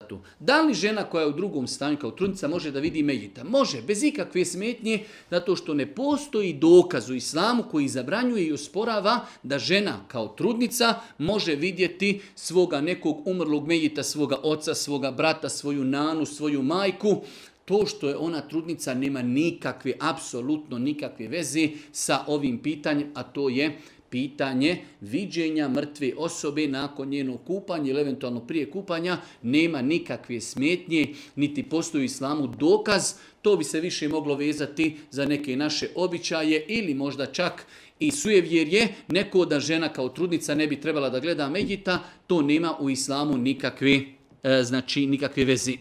to. Da li žena koja je u drugom stanju kao trudnica može da vidi mejita? Može, bez ikakve smetnje, zato što ne postoji dokaz u islamu koji zabranjuje i osporava da žena kao trudnica može vidjeti svoga nekog umrlog mejita, svoga oca, svoga brata, svoju nanu, svoju majku. To što je ona trudnica nema nikakve, apsolutno nikakve veze sa ovim pitanjem, a to je pitanje viđenja mrtve osobe nakon njenog kupanja ili eventualno prije kupanja. Nema nikakve smetnje, niti postoji u islamu dokaz. To bi se više moglo vezati za neke naše običaje ili možda čak i sujevjerje. Neko da žena kao trudnica ne bi trebala da gleda mejita, to nema u islamu nikakve veze.